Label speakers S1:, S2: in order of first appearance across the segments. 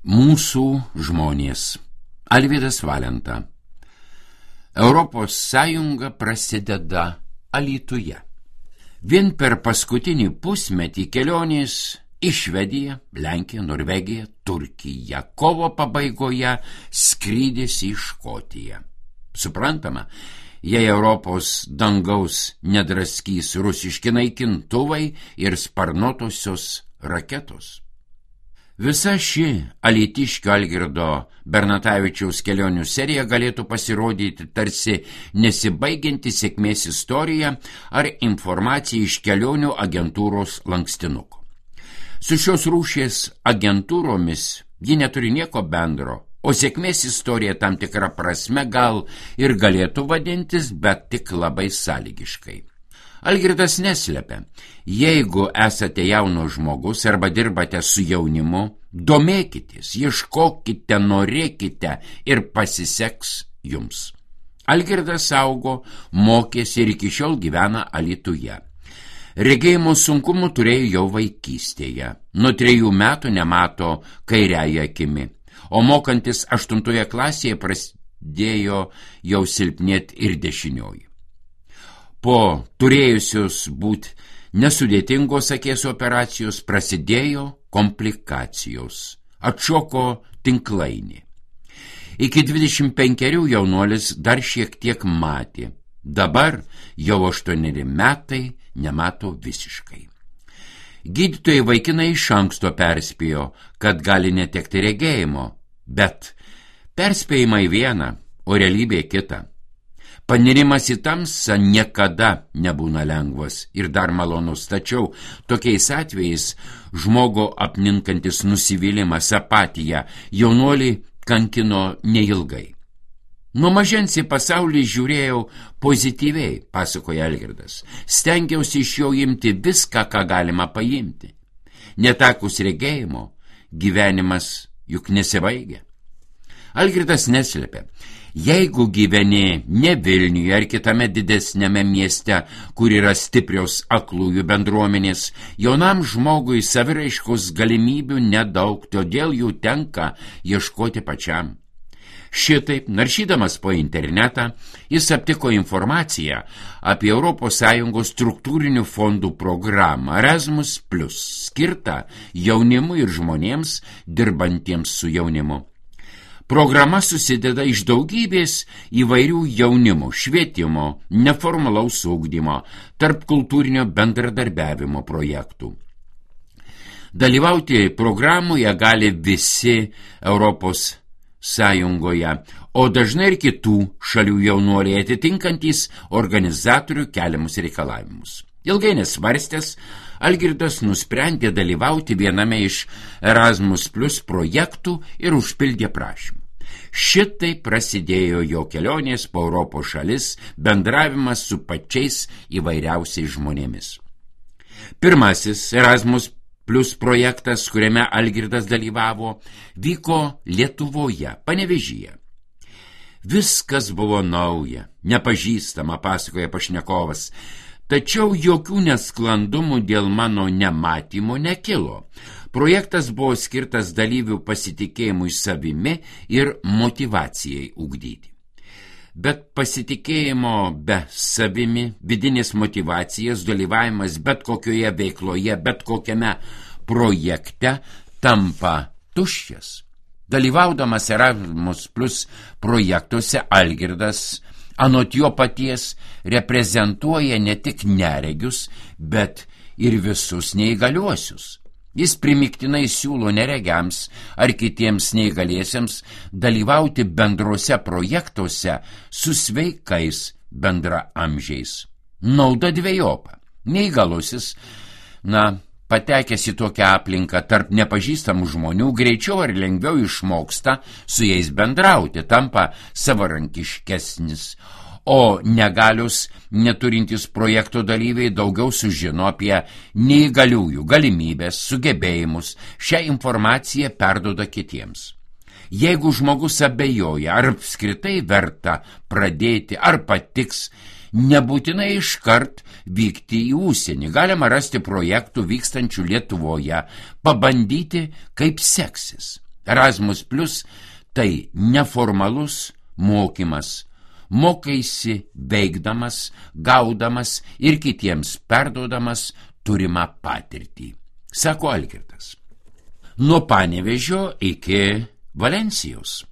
S1: Mūsų žmonės. Alvydas Valenta. Europos Sąjunga prasideda Alytuje. Vien per paskutinį pusmetį kelionės į Švediją, Lenkiją, Norvegiją, Turkiją, kovo pabaigoje skrydis į Škotiją. Suprantama, jei Europos dangaus nedraskys rusiški naikintuvai ir sparnuotosios raketos. Visa ši alytiškio Algirdo Bernatavičiaus kelionių serija galėtų pasirodyti tarsi nesibaigianti sėkmės istorija ar informacija iš kelionių agentūros lankstinuko. Su šios rūšies agentūromis ji neturi nieko bendro, o sėkmės istorija tam tikra prasme gal ir galėtų vadintis, bet tik labai sąlygiškai. Algirdas neslepia, jeigu esate jaunas žmogus arba dirbate su jaunimu, domėkitės, ieškokite, norėkite ir pasiseks jums. Algirdas augo, mokėsi ir iki šiol gyvena Alytuje. Regėjimo sunkumų turėjo jau vaikystėje. Nuo 3 metų nemato kairiąja akimi, o mokantis 8 klasėje prasidėjo jau silpnėti ir dešinioji. Po turėjusios būti nesudėtingos akies operacijos prasidėjo komplikacijos. Atšoko tinklainį. Iki 25 jaunuolis dar šiek tiek matė. Dabar jau 8 metai nemato visiškai. Gydytojai vaikinai iš anksto perspėjo, kad gali netekti regėjimo, bet perspėjimai viena, o realybė kita. Panirimas į tamsą niekada nebūna lengvas ir dar malonus, tačiau tokiais atvejais žmogo apninkantis nusivylimas, apatija jaunuolį kankino neilgai. Nuo mažens į pasaulį žiūrėjau pozityviai, pasakoja Algirdas. Stengiausi iš jo imti viską, ką galima paimti. Netekus regėjimo, gyvenimas juk nesibaigia. Algirdas neslepia. Jeigu gyveni ne Vilniuje ar kitame didesnėme mieste, kur yra stiprios aklųjų bendruomenės, jaunam žmogui saviraiškos galimybių nedaug, todėl jų tenka ieškoti pačiam. Šitaip, naršydamas po internetą, jis aptiko informaciją apie ES struktūrinių fondų programą Erasmus+, skirtą jaunimui ir žmonėms dirbantiems su jaunimu. Programa susideda iš daugybės įvairių jaunimo, švietimo, neformalaus ugdymo, tarpkultūrinio bendradarbiavimo projektų. Dalyvauti programoje gali visi Europos Sąjungoje, o dažnai ir kitų šalių jaunuoliai atitinkantys organizatorių keliamus reikalavimus. Ilgai nesvarstęs, Algirdas nusprendė dalyvauti viename iš Erasmus+ projektų ir užpildė prašymą. Šitai prasidėjo jo kelionės po Europos šalis, bendravimas su pačiais įvairiausiais žmonėmis. Pirmasis Erasmus+ projektas, kuriame Algirdas dalyvavo, vyko Lietuvoje, Panevėžyje. Viskas buvo nauja, nepažįstama, pasakoja pašnekovas. Tačiau jokių nesklandumų dėl mano nematymo nekilo. Projektas buvo skirtas dalyvių pasitikėjimui savimi ir motyvacijai ugdyti. Bet pasitikėjimo be savimi, vidinės motyvacijas, dalyvavimas bet kokioje veikloje, bet kokiame projekte tampa tuščias. Dalyvaudamas Erasmus+ projektuose Algirdas anot jo paties reprezentuoja ne tik neregius, bet ir visus neįgaliuosius. Jis primiktinai siūlo neregiams ar kitiems neįgaliesiems dalyvauti bendruose projektuose su sveikais bendraamžiais. Nauda dvejopa. Neįgalusis, patekęs į tokią aplinką tarp nepažįstamų žmonių, greičiau ar lengviau išmoksta su jais bendrauti, tampa savarankiškesnis, o negalius neturintys projekto dalyviai daugiau sužino apie neįgaliųjų galimybės, sugebėjimus, šią informaciją perduoda kitiems. Jeigu žmogus abejoja, ar apskritai verta pradėti, ar patiks, nebūtinai iškart vykti į užsienį. Galima rasti projektų vykstančių Lietuvoje, pabandyti, kaip seksis. Erasmus Plus tai neformalus mokymas. Mokaisi veikdamas, gaudamas ir kitiems perduodamas turimą patirtį, sako Algirdas. Nuo Panevėžio iki Valencijos.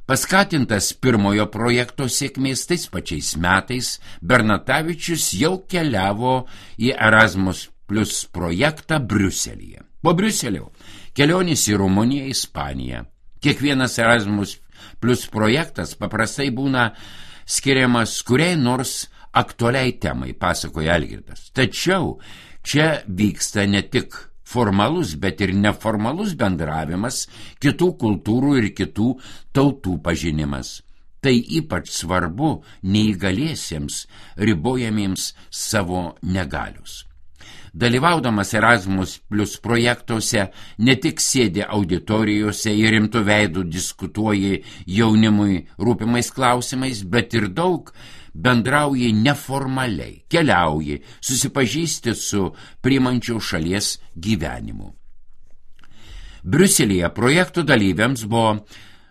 S1: Paskatintas pirmojo projekto sėkmės tais pačiais metais, Bernatavičius jau keliavo į Erasmus Plus projektą Briuselyje. Po Briuselio kelionės į Rumuniją, Ispaniją. Kiekvienas Erasmus Plus projektas paprastai būna skiriamas kuriai nors aktualiai temai, pasakoja Algirdas. Tačiau čia vyksta ne tik formalus, bet ir neformalus bendravimas, kitų kultūrų ir kitų tautų pažinimas. Tai ypač svarbu neįgaliesiems, ribojamiems savo negalius. Dalyvaudamas Erasmus Plus projektuose ne tik sėdi auditorijose ir rimtų veidų diskutuoji jaunimui rūpimais klausimais, bet ir daug bendrauji neformaliai, keliauji, susipažįsti su priimančių šalies gyvenimu. Briuselyje projektų dalyviams buvo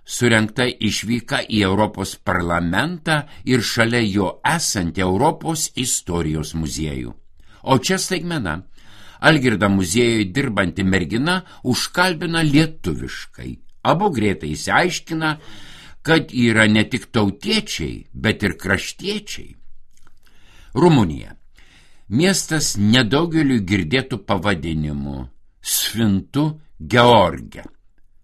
S1: surengta išvyka į Europos parlamentą ir šalia jo esantį Europos istorijos muziejų. O čia staigmena. Algirdą muziejui dirbanti mergina užkalbina lietuviškai. Abu greitai išsiaiškina, kad yra ne tik tautiečiai, bet ir kraštiečiai. Rumunija. Miestas nedaugeliu girdėtų pavadinimu Sfintu George.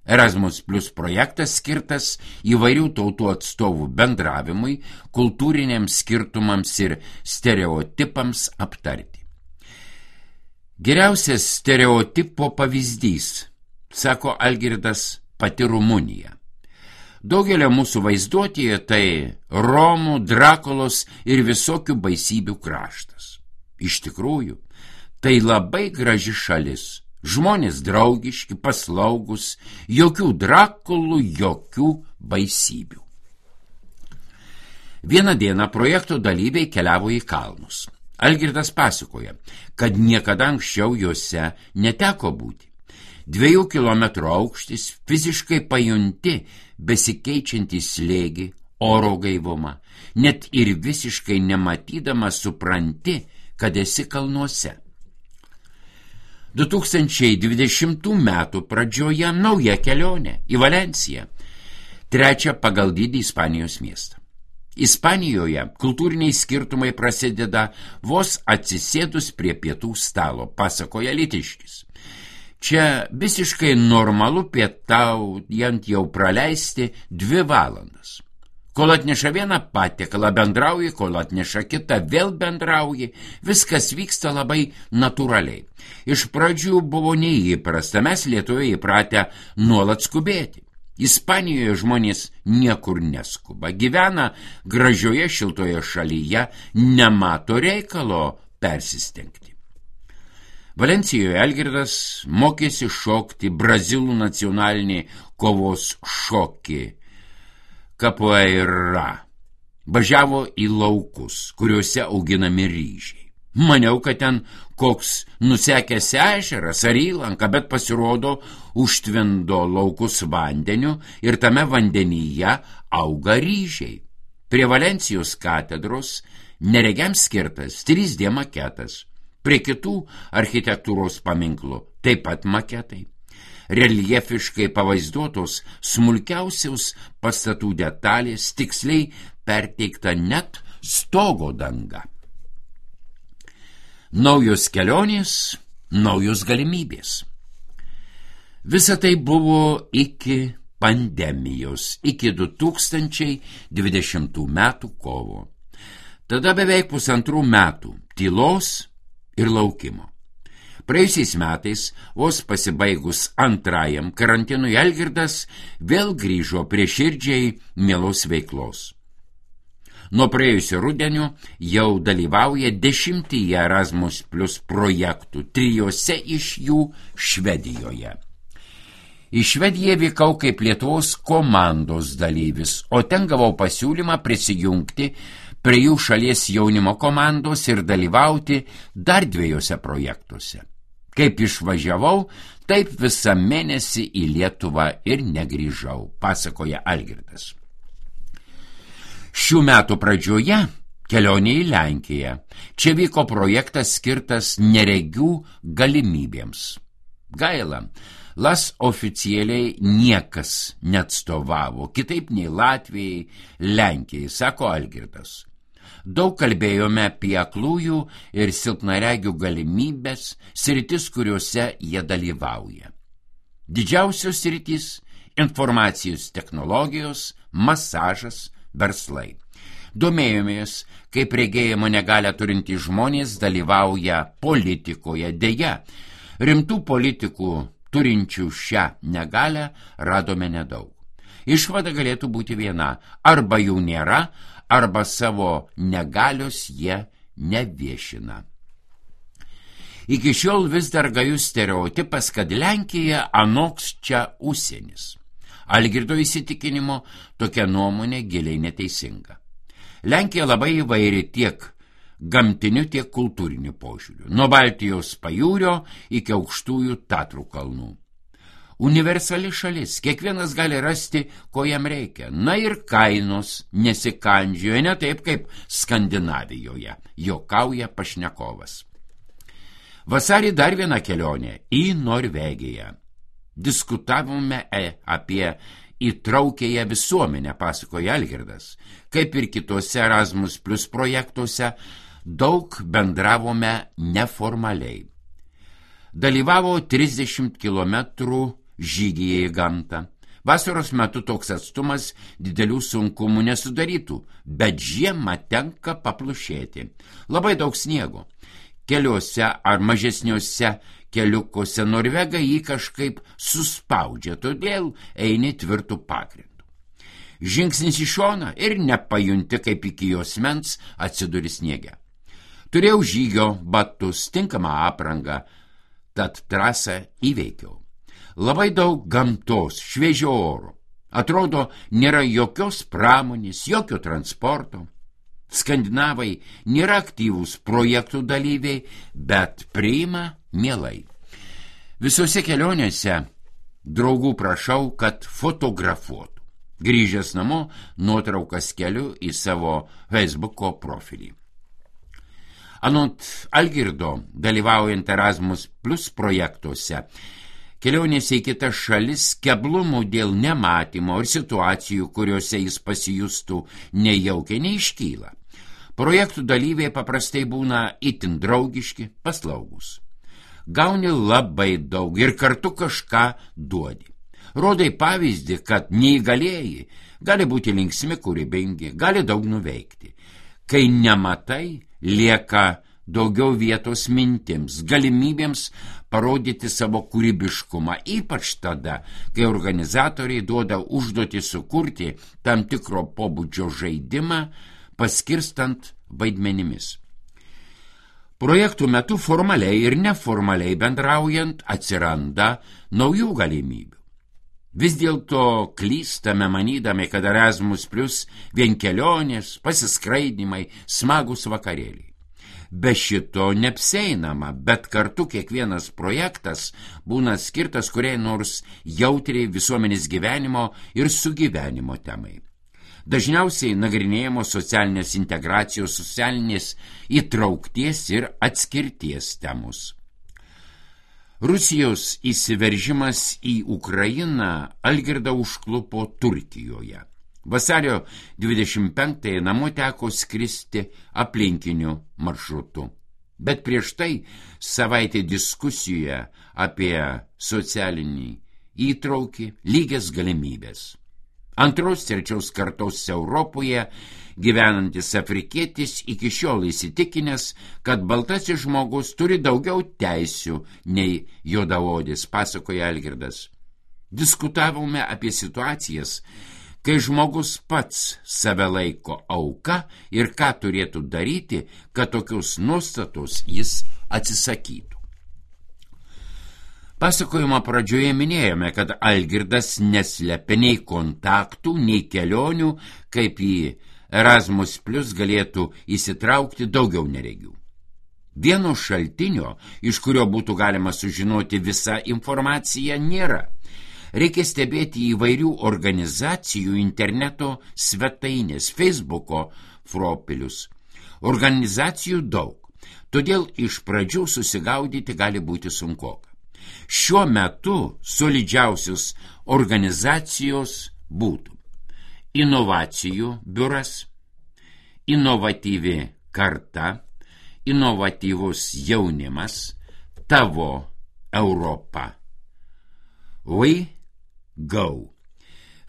S1: Erasmus Plus projektas skirtas įvairių tautų atstovų bendravimui, kultūriniams skirtumams ir stereotipams aptarti. Geriausias stereotipo pavyzdys, sako Algirdas, pati Rumunija. Daugelio mūsų vaizduotėje tai Romų, Drakulos ir visokių baisybių kraštas. Iš tikrųjų, tai labai graži šalis. Žmonės draugiški, paslaugus, jokių Drakulų, jokių baisybių. Vieną dieną projekto dalyviai keliavo į kalnus. Algirdas pasakoja, kad niekada anksčiau juose neteko būti. 2 kilometrų aukštis, fiziškai pajunti besikeičiantį slėgį, oro gaivumą, net ir visiškai nematydama supranti, kad esi kalnuose. 2020 metų pradžioje nauja kelionė į Valenciją, 3 pagal dydį Ispanijos miestą. Ispanijoje kultūriniai skirtumai prasideda vos atsisėdus prie pietų stalo, pasakoja Lytiškis. Čia visiškai normalu pietaujant jau praleisti 2 valandas. Kol atneša vieną patiekalą, bendrauji, kol atneša kitą, vėl bendrauji, viskas vyksta labai natūraliai. Iš pradžių buvo neįprasta, mes Lietuvoje įpratę nuolat skubėti. Ispanijoje žmonės niekur neskuba, gyvena gražioje šiltoje šalyje, nemato reikalo persistengti. Valencijoje Algirdas mokėsi šokti brazilų nacionalinį kovos šokį capoeira. Važiavo į laukus, kuriuose auginami ryžiai. Maniau, kad ten koks nusekęs ežeras ar įlanka, bet pasirodo užtvindo laukus vandeniu ir tame vandenyje auga ryžiai. Prie Valencijos katedros neregiams skirtas 3D maketas, prie kitų architektūros paminklų taip pat maketai. Reljefiškai pavaizduotos smulkiausios pastatų detalės, tiksliai perteikta net stogo danga. Naujos kelionės, naujos galimybės. Visa tai buvo iki pandemijos, iki 2020 metų kovo. Tada beveik 1,5 metų tylos ir laukimo. Praėjusiais metais, vos pasibaigus 2. karantinui, Algirdas vėl grįžo prie širdžiai mielos veiklos. Nuo praėjusio rudenio jau dalyvauja 10 Erasmus Plus projektų, 3 iš jų Švedijoje. Į Švediją vykau kaip Lietuvos komandos dalyvis, o ten gavau pasiūlymą prisijungti prie jų šalies jaunimo komandos ir dalyvauti dar 2 projektuose. Kaip išvažiavau, Taip visą mėnesį į Lietuvą ir negrįžau, pasakoja Algirdas. Šių metų pradžioje kelionė į Lenkiją. Čia vyko projektas skirtas neregių galimybėms. Gaila, LAS oficialiai niekas neatstovavo, kitaip nei Latvijai, Lenkijai, sako Algirdas. Daug kalbėjome apie aklųjų ir silpnaregių galimybės, sritis, kuriuose jie dalyvauja. Didžiausios sritis – informacijos technologijos, masažas, verslai. Domėjomės, kaip regėjimo negalią turintys žmonės dalyvauja politikoje. Deja, rimtų politikų turinčių šią negalią radome nedaug. Išvada galėtų būti viena – arba jų nėra, arba savo negalios jie neviešina. Iki šiol vis dar gajus stereotipas, kad Lenkija anoks čia užsienis. Algirdo įsitikinimo tokia nuomonė giliai neteisinga. Lenkija labai įvairi tiek gamtiniu, tiek kultūriniu požiūriu, nuo Baltijos pajūrio iki aukštųjų Tatrų kalnų. Universali šalis, kiekvienas gali rasti, ko jam reikia. Na ir kainos nesikandžioja, ne taip kaip Skandinavijoje, juokauja pašnekovas. Vasarį dar viena kelionė į Norvegiją. Diskutavome apie įtraukėją visuomenę, pasakoja Algirdas. Kaip ir kitose Erasmus Plus projektuose, daug bendravome neformaliai. Dalyvavo 30 kilometrų žygyje į gamtą. Vasaros metu toks atstumas didelių sunkumų nesudarytų, bet žiemą tenka paplušėti. Labai daug sniego. Keliuose ar mažesniuose keliukuose Norvegai jį kažkaip suspaudžia, todėl eini tvirtų pagrindų. Žingsnis į šoną ir nepajunti, kaip iki juosmens atsiduri sniege. Turėjau žygio batus, tinkamą aprangą, tad trasą įveikiau. Labai daug gamtos, šviežio oro. Atrodo, nėra jokios pramonės, jokio transporto. Skandinavai nėra aktyvūs projektų dalyviai, bet priima mielai. Visose kelionėse draugų prašau, kad fotografuotų. Grįžęs namo, nuotraukas keliu į savo Facebooko profilį. Anot Algirdo, dalyvaujant Erasmus Plus projektuose, kelionėse į kitas šalis keblumų dėl nematymo ir situacijų, kuriuose jis pasijustų nejaukiai, neiškyla. Projektų dalyviai paprastai būna itin draugiški, paslaugus. Gauni labai daug ir kartu kažką duodi. Rodai pavyzdį, kad neįgalieji gali būti linksmi, kūrybingi, gali daug nuveikti. Kai nematai, lieka daugiau vietos mintims, galimybėms parodyti savo kūrybiškumą, ypač tada, kai organizatoriai duoda užduotį sukurti tam tikro pobūdžio žaidimą, paskirstant vaidmenimis. Projektų metu formaliai ir neformaliai bendraujant atsiranda naujų galimybių. Vis dėlto klystame manydami, kad Erasmus Plus vien kelionės, pasiskraidymai, smagus vakarėliai. Be šito neapseinama, bet kartu kiekvienas projektas būna skirtas kuriai nors jautriai visuomenės gyvenimo ir sugyvenimo temai. Dažniausiai nagrinėjamos socialinės integracijos, socialinės įtraukties ir atskirties temos. Rusijos įsiveržimas į Ukrainą Algirdą užklupo Turkijoje. Vasario 25-ąją namo teko skristi aplinkiniu maršrutu. Bet prieš tai savaitė diskusijoje apie socialinį įtraukį, lygias galimybės. Antros, trečios kartos Europoje gyvenantis afrikietis iki šiol įsitikinęs, kad baltasis žmogus turi daugiau teisių nei juodaodis, pasakoja Algirdas. Diskutavome apie situacijas, kai žmogus pats save laiko auka ir ką turėtų daryti, kad tokios nuostatos jis atsisakytų. Pasakojimo pradžioje minėjome, kad Algirdas neslepia nei kontaktų, nei kelionių, kaip į Erasmus Plus galėtų įsitraukti daugiau neregių. Vieno šaltinio, iš kurio būtų galima sužinoti visą informaciją, nėra. Reikia stebėti įvairių organizacijų interneto svetainės, Facebooko profilius. Organizacijų daug, todėl iš pradžių susigaudyti gali būti sunkoka. Šiuo metu solidžiausios organizacijos būtų Inovacijų biuras, Inovatyvi karta, Inovatyvus jaunimas, Tavo Europa. Go.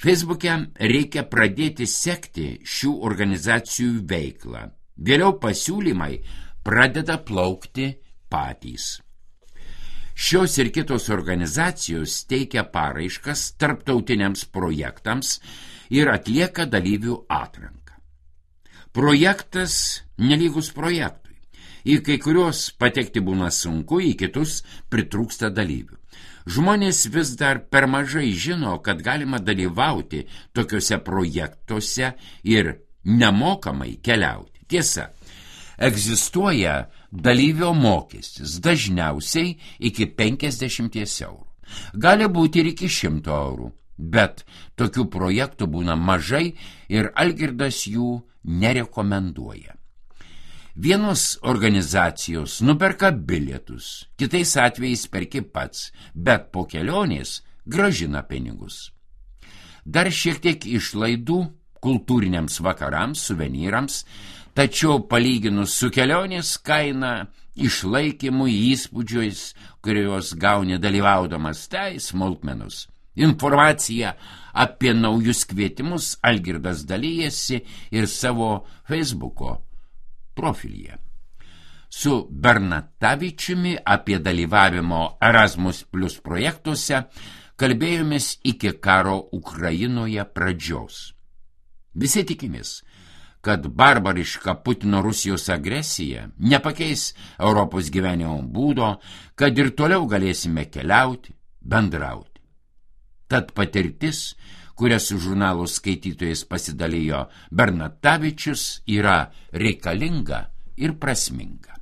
S1: Facebook'e reikia pradėti sekti šių organizacijų veiklą. Vėliau pasiūlymai pradeda plaukti patys. Šios ir kitos organizacijos teikia paraiškas tarptautiniams projektams ir atlieka dalyvių atranką. Projektas nelygus projektui. Į kai kurios patekti būna sunku, į kitus pritrūksta dalyvių. Žmonės vis dar per mažai žino, kad galima dalyvauti tokiuose projektuose ir nemokamai keliauti. Tiesa, egzistuoja dalyvio mokestis, dažniausiai iki 50 eurų. Gali būti ir iki 100 eurų, bet tokių projektų būna mažai ir Algirdas jų nerekomenduoja. Vienos organizacijos nuperka bilietus, kitais atvejais perki pats, bet po kelionės grąžina pinigus. Dar šiek tiek išlaidų kultūriniams vakarams, suvenyrams, tačiau palyginus su kelionės kaina, išlaikymu, įspūdžiais, kuriuos gauni dalyvaudamas, tai smulkmenus. Informaciją apie naujus kvietimus Algirdas dalyjasi ir savo Facebooko profilyje. Su Bernatavičiumi apie dalyvavimo Erasmus Plus projektuose kalbėjomės iki karo Ukrainoje pradžios. Visi tikimės, kad barbariška Putino Rusijos agresija nepakeis Europos gyvenimo būdo, kad ir toliau galėsime keliauti, bendrauti. Tad patirtis, kuria su žurnalo skaitytojais pasidalijo Bernatavičius, yra reikalinga ir prasminga.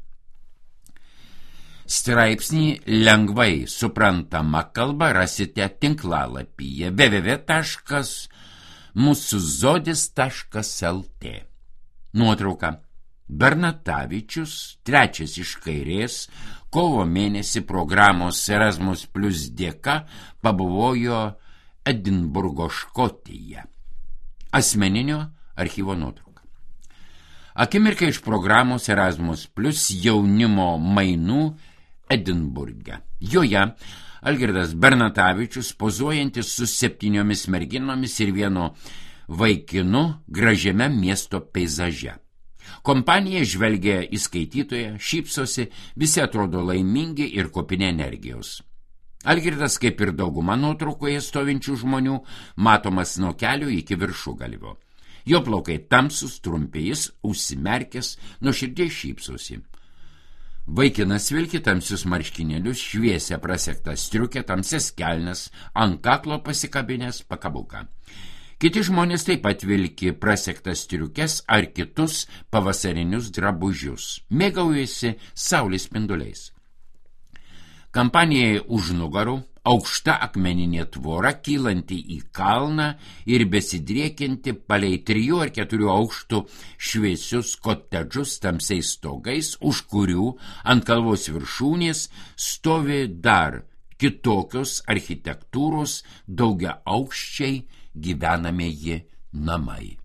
S1: Straipsnį lengvai suprantama kalba rasite tinklalapyje www.musuzodis.lt. Nuotrauka. Bernatavičius, trečias iš kairės, kovo mėnesį programos Erasmus Plus dėka pabuvojo Edinburgo, Škotija. Asmeninio archyvo nuotrauka. Akimirka iš programos Erasmus Plus jaunimo mainų Edinburge. Joje Algirdas Bernatavičius pozuojantis su 7 merginomis ir vienu vaikinu gražiame miesto peizaže. Kompanija žvelgia į skaitytoją, šypsosi, visi atrodo laimingi ir kupini energijos. Algirdas, kaip ir dauguma nuotraukoje stovinčių žmonių, matomas nuo kelio iki viršugalvio. Jo plaukai tamsus, trumpi, jis užsimerkęs, nuoširdžiai šypsosi. Vaikinas vilki tamsius marškinėlius, šviesia prasekta striukė, tamsias kelnes, ant kaklo pasikabinės pakabuką. Kiti žmonės taip pat vilki prasektas striukes ar kitus pavasarinius drabužius. Mėgaujasi saulės spinduliais. Kampanijai už nugarų aukšta akmeninė tvora, kylanti į kalną ir besidriekianti palei 3 ar 4 aukštų šviesius kotedžus tamsiais stogais, už kurių ant kalvos viršūnės stovi dar kitokios architektūros daugia aukščiai gyvenamieji namai.